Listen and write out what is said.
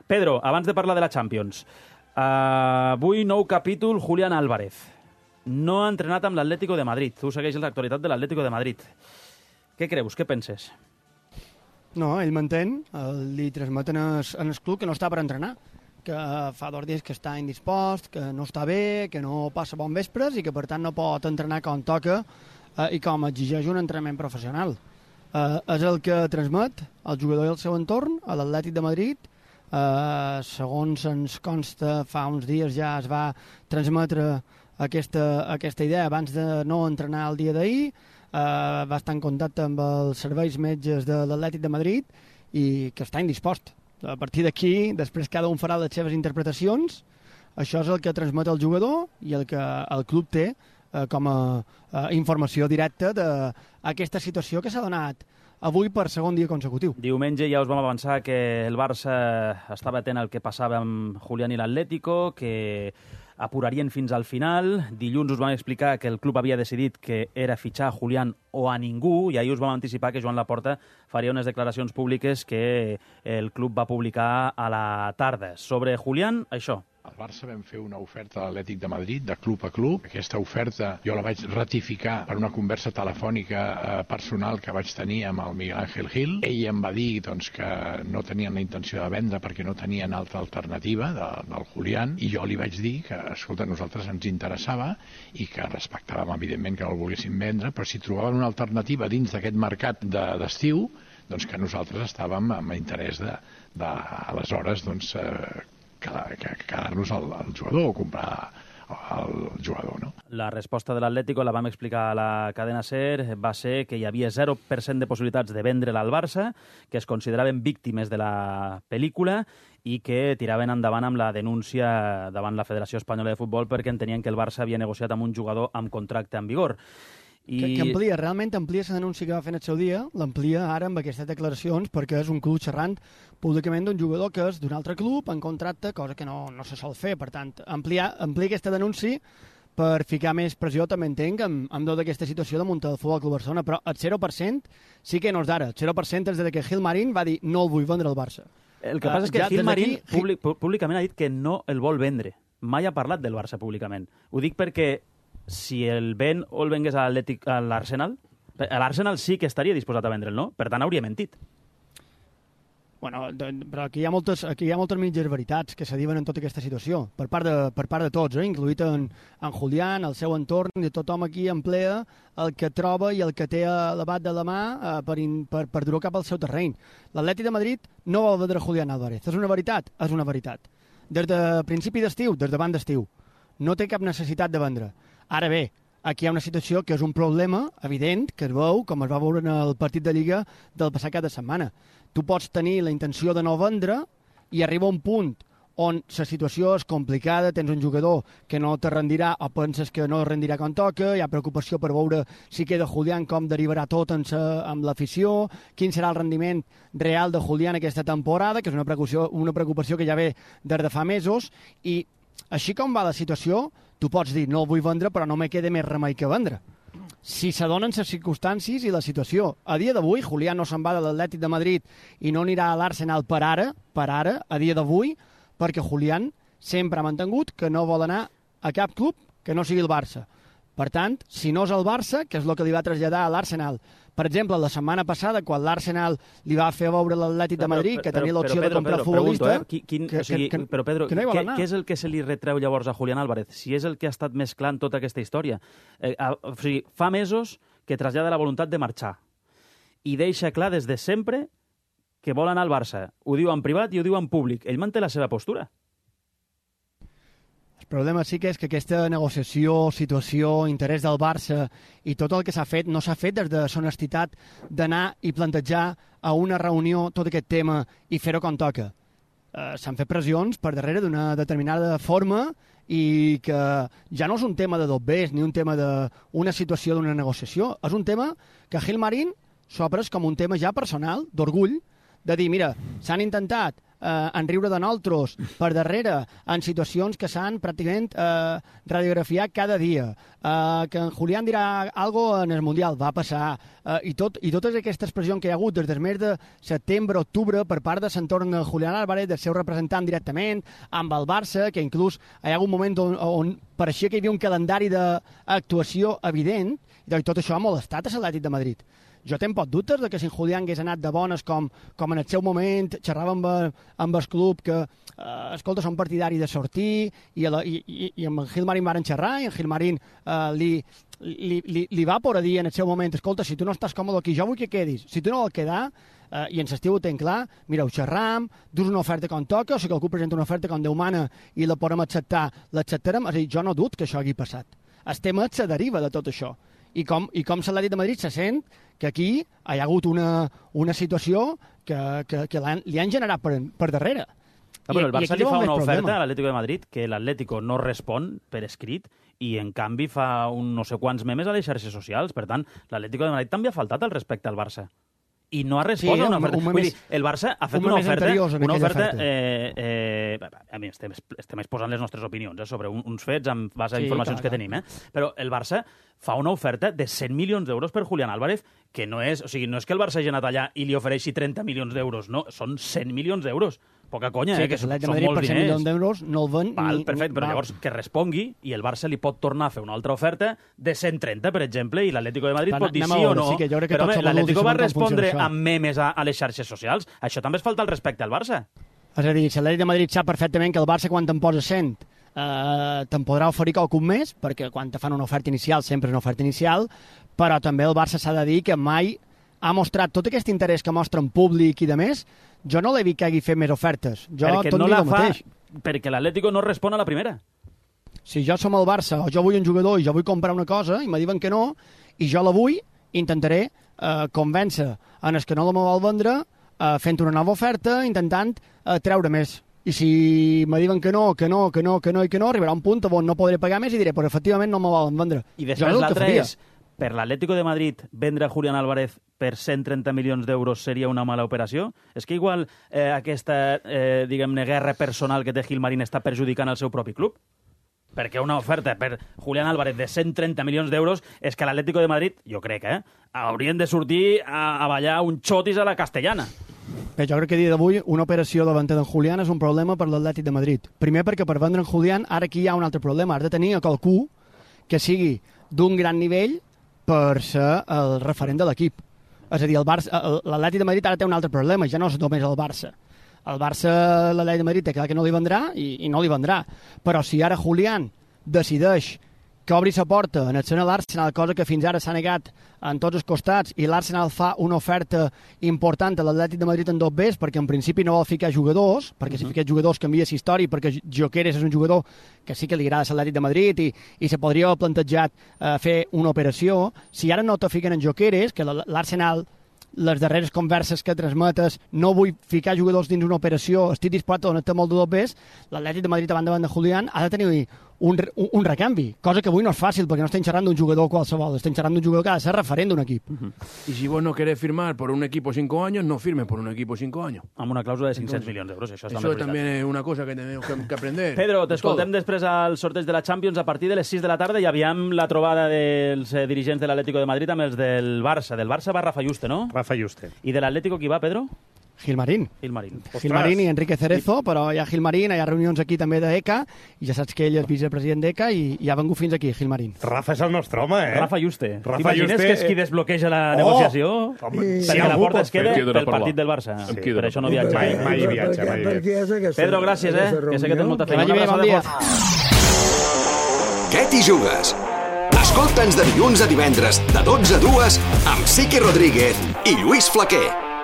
Pedro, abans de parlar de la Champions, avui nou capítol, Julián Álvarez. No ha entrenat amb l'Atlético de Madrid. Tu segueixes l'actualitat de l'Atlético de Madrid. Què creus? Què penses? No, ell m'entén. Li transmeten en el club que no està per entrenar, que fa 2 dies que està indispost, que no està bé, que no passa bon vespres i que, per tant, no pot entrenar com toca i com exigeix un entrenament professional. És el que transmet el jugador i el seu entorn a l'Atlètic de Madrid. Segons ens consta, fa uns dies ja es va transmetre aquesta idea abans de no entrenar el dia d'ahir. Va estar en contacte amb els serveis metges de l'Atlètic de Madrid i que està indispost. A partir d'aquí, després cada un farà les seves interpretacions. Això és el que transmet el jugador i el que el club té com a informació directa d'aquesta situació que s'ha donat avui per segon dia consecutiu. Diumenge ja us vam avançar que el Barça estava atent al que passava amb Julián i l'Atlético, que apurarien fins al final. Dilluns us vam explicar que el club havia decidit que era fitxar a Julián o a ningú, i ahir us vam anticipar que Joan Laporta faria unes declaracions públiques que el club va publicar a la tarda. Sobre Julián, això. Al Barça vam fer una oferta a l'Atlètic de Madrid, de club a club. Aquesta oferta jo la vaig ratificar per una conversa telefònica personal que vaig tenir amb el Miguel Ángel Gil. Ell em va dir que no tenien la intenció de vendre perquè no tenien altra alternativa del Julián, i jo li vaig dir que, escolta, a nosaltres ens interessava i que respectàvem, evidentment, que no el volguéssim vendre, però si trobaven una alternativa dins d'aquest mercat d'estiu, doncs que nosaltres estàvem amb interès aleshores, quedar-nos al jugador o comprar el jugador, no? La resposta de l'Atlético, la vam explicar a la cadena SER, va ser que hi havia 0% de possibilitats de vendre'l al Barça, que es consideraven víctimes de la pel·lícula i que tiraven endavant amb la denúncia davant la Federació Espanyola de Futbol perquè entenien que el Barça havia negociat amb un jugador amb contracte en vigor. Que amplia, realment amplia la denúncia que va fer en el seu dia, l'amplia ara amb aquestes declaracions perquè és un club xerrant públicament d'un jugador que és d'un altre club en contracte, cosa que no se sol fer. Per tant, amplia aquesta denúncia per ficar més pressió, també entenc, amb tota aquesta situació damunt del Futbol Club Barcelona, però el 0% sí que no és d'ara. El 0% és des que Gil Marín va dir no el vull vendre al Barça. El que passa és que Gil Marín públicament ha dit que no el vol vendre. Mai ha parlat del Barça públicament. Ho dic perquè si el ven o el vengués a l'Arsenal, l'Arsenal sí que estaria disposat a vendre'l, no? Per tant, hauria mentit. Bueno, però aquí hi ha moltes mitges veritats que se diuen en tota aquesta situació, per part de tots, incluït en Julián, el seu entorn, i tothom aquí emplea el que troba i el que té a l'abat de la mà per dur-ho cap al seu terreny. L'Atlètic de Madrid no vol vendre Julián Álvarez. És una veritat? És una veritat. Des de principi d'estiu, des davant d'estiu, no té cap necessitat de vendre. Ara bé, aquí hi ha una situació que és un problema evident, que es veu, com es va veure en el partit de Lliga del passat cap de setmana. Tu pots tenir la intenció de no vendre i arriba un punt on la situació és complicada, tens un jugador que no te rendirà o penses que no rendirà com toca, hi ha preocupació per veure si queda Julián, com derivarà tot amb l'afició, quin serà el rendiment real de Julián aquesta temporada, que és una preocupació que ja ve des de fa mesos, i així com va la situació, tu pots dir, no el vull vendre, però no me queda més remei que vendre. Si s'adonen les circumstàncies i la situació. A dia d'avui, Julián no se'n va de l'Atlètic de Madrid i no anirà a l'Arsenal per ara, a dia d'avui, perquè Julián sempre ha mantingut que no vol anar a cap club que no sigui el Barça. Per tant, si no és el Barça, que és el que li va traslladar a l'Arsenal, per exemple, la setmana passada, quan l'Arsenal li va fer veure l'Atlètic de Madrid, que tenia l'opció de comprar el futbolista... Però, Pedro, què és el que se li retreu llavors a Julián Álvarez? Si és el que ha estat mesclant tota aquesta història. O sigui, fa mesos que trasllada la voluntat de marxar i deixa clar des de sempre que vol anar al Barça. Ho diu en privat i ho diu en públic. Ell manté la seva postura. El problema sí que és que aquesta negociació, situació, interès del Barça i tot el que s'ha fet no s'ha fet des de l'honestitat d'anar i plantejar a una reunió tot aquest tema i fer-ho com toca. S'han fet pressions per darrere d'una determinada forma i que ja no és un tema de dobbers ni un tema d'una situació d'una negociació. És un tema que Gil Marín s'ho ha pres com un tema ja personal, d'orgull, de dir, mira, s'han intentat en riure de nosaltres per darrere, en situacions que s'han pràcticament radiografiat cada dia, que en Julián dirà algo en el Mundial, va passar, i totes aquestes pressions que hi ha hagut des del mes de setembre, octubre, per part de l'entorn de Julián Álvarez, del seu representant directament, amb el Barça, que inclús hi ha hagut un moment on pareixia que hi havia un calendari d'actuació evident, i tot això ha molestat a l'Atlètic de Madrid. Jo tenc pocs dubtes de que si en Julián hagués anat de bones com en el seu moment xerrava amb el club que escolta, són partidari de sortir i amb en Gilmarín varen xerrar i en Gilmarín li va por a dir en el seu moment, escolta, si tu no estàs còmode aquí, jo vull que quedis, si tu no vol quedar i en l'estiu ho tenc clar, mira, ho xerram, dus una oferta com toca, o si algú presenta una oferta com Déu mana i la podem acceptar, l'acceptarem, és a dir, jo no dut que això hagi passat. El tema se deriva de tot això. I com l'Atlètic de Madrid se sent que aquí hi ha hagut una situació que li han generat per darrere. Però el Barça li fa una oferta a l'Atlético de Madrid que l'Atlético no respon per escrit i, en canvi, fa no sé quants memes a les xarxes socials. Per tant, l'Atlético de Madrid també ha faltat al respecte al Barça. I no ha respost a una oferta. Vull dir, el Barça ha fet una oferta a mi estem exposant les nostres opinions sobre uns fets en base a informacions que tenim, però el Barça fa una oferta de 100 milions d'euros per Julián Álvarez, que no és, o sigui, no és que el Barça hagi anat allà i li ofereixi 30 milions d'euros, no, són 100 milions d'euros. Poca conya, que són molts diners. 100 milions d'euros no el ven perfecte, però llavors que respongui i el Barça li pot tornar a fer una altra oferta de 130, per exemple, i l'Atlético de Madrid pot dir sí o no. Però l'Atlético va respondre amb memes a les xarxes socials. Això també es falta el respecte al Barça. És a dir, l'Atlético de Madrid sap perfectament que el Barça, quan te'n posa 100, te'n podrà oferir qualcun més, perquè quan te fan una oferta inicial sempre és una oferta inicial, però també el Barça s'ha de dir que mai ha mostrat tot aquest interès que mostra en públic i de més. Jo no l'he vist que hagi fet més ofertes. Perquè no la fa, perquè l'Atlético no respon a la primera. Si jo som el Barça o jo vull un jugador i jo vull comprar una cosa i me diuen que no, i jo la vull, intentaré convèncer en els que no la me vol vendre fent una nova oferta, intentant treure més. I si me diuen que no, arribarà un punt on no podré pagar més i diré, però efectivament no me volen vendre. I després l'altre és, per l'Atlético de Madrid, vendre a Julián Álvarez per 130 milions d'euros seria una mala operació? És que igual aquesta, diguem-ne, guerra personal que té Gilmarín està perjudicant el seu propi club? Perquè una oferta per Julián Álvarez de 130 milions d'euros és que l'Atlético de Madrid, jo crec, haurien de sortir a ballar un xotis a la castellana. Bé, jo crec que a dia d'avui una operació de venda d'en Julián és un problema per l'Atlètic de Madrid. Primer perquè per vendre en Julián ara aquí hi ha un altre problema. Has de tenir a qualcú que sigui d'un gran nivell per ser el referent de l'equip. És a dir, l'Atlètic de Madrid ara té un altre problema, ja no és només el Barça. El Barça, l'Atlètic de Madrid té clar que no li vendrà i no li vendrà. Però si ara Julián decideix que obri la porta en el seno de l'Arsenal, cosa que fins ara s'ha negat en tots els costats, i l'Arsenal fa una oferta important a l'Atlètic de Madrid en 2Bs, perquè en principi no vol ficar jugadors, perquè si fiqués jugadors canvia la història, perquè Gyökeres és un jugador que sí que li agrada a l'Atlètic de Madrid i se podria haver plantejat fer una operació. Si ara no te fiquen en Gyökeres, que l'Arsenal, les darreres converses que transmetes, no vull ficar jugadors dins una operació, estic disposat a donar-te molt de 2Bs, l'Atlètic de Madrid davant de Julián ha de tenir un recanvi, cosa que avui no és fàcil perquè no estem xerrant d'un jugador qualsevol, estem xerrant d'un jugador que ha de ser referent d'un equip. Y si vos no querés firmar por un equipo 5 años, no firmes por un equipo 5 años. Amb una clàusula de 500 milions d'euros, això també és una cosa que tenemos que aprender. Pedro, t'escoltem després al sorteig de la Champions a partir de les 6 de la tarda i aviam la trobada dels dirigents de l'Atlético de Madrid amb els del Barça. Del Barça va Rafa Yuste, no? Rafa Yuste. I de l'Atlético qui va, Pedro? Gilmarín. Gilmarín I Enrique Cerezo, però hi ha Gilmarín, hi ha reunions aquí també d'ECA, i ja saps que ell és vicepresident d'ECA i ha vengut fins aquí, Gilmarín. Rafa és el nostre home, Rafa Yuste. T'imagines que és qui desbloqueja la negociació? Perquè la porta es queda pel partit del Barça. Per això no viatja. Mai viatja. Pedro, gràcies, que sé que tens molta feina. Que vagi bé, bon dia. Què t'hi jugues? Escolta'ns de dilluns a divendres de 12 a 2 amb Siqui Rodríguez i Lluís Flaquer.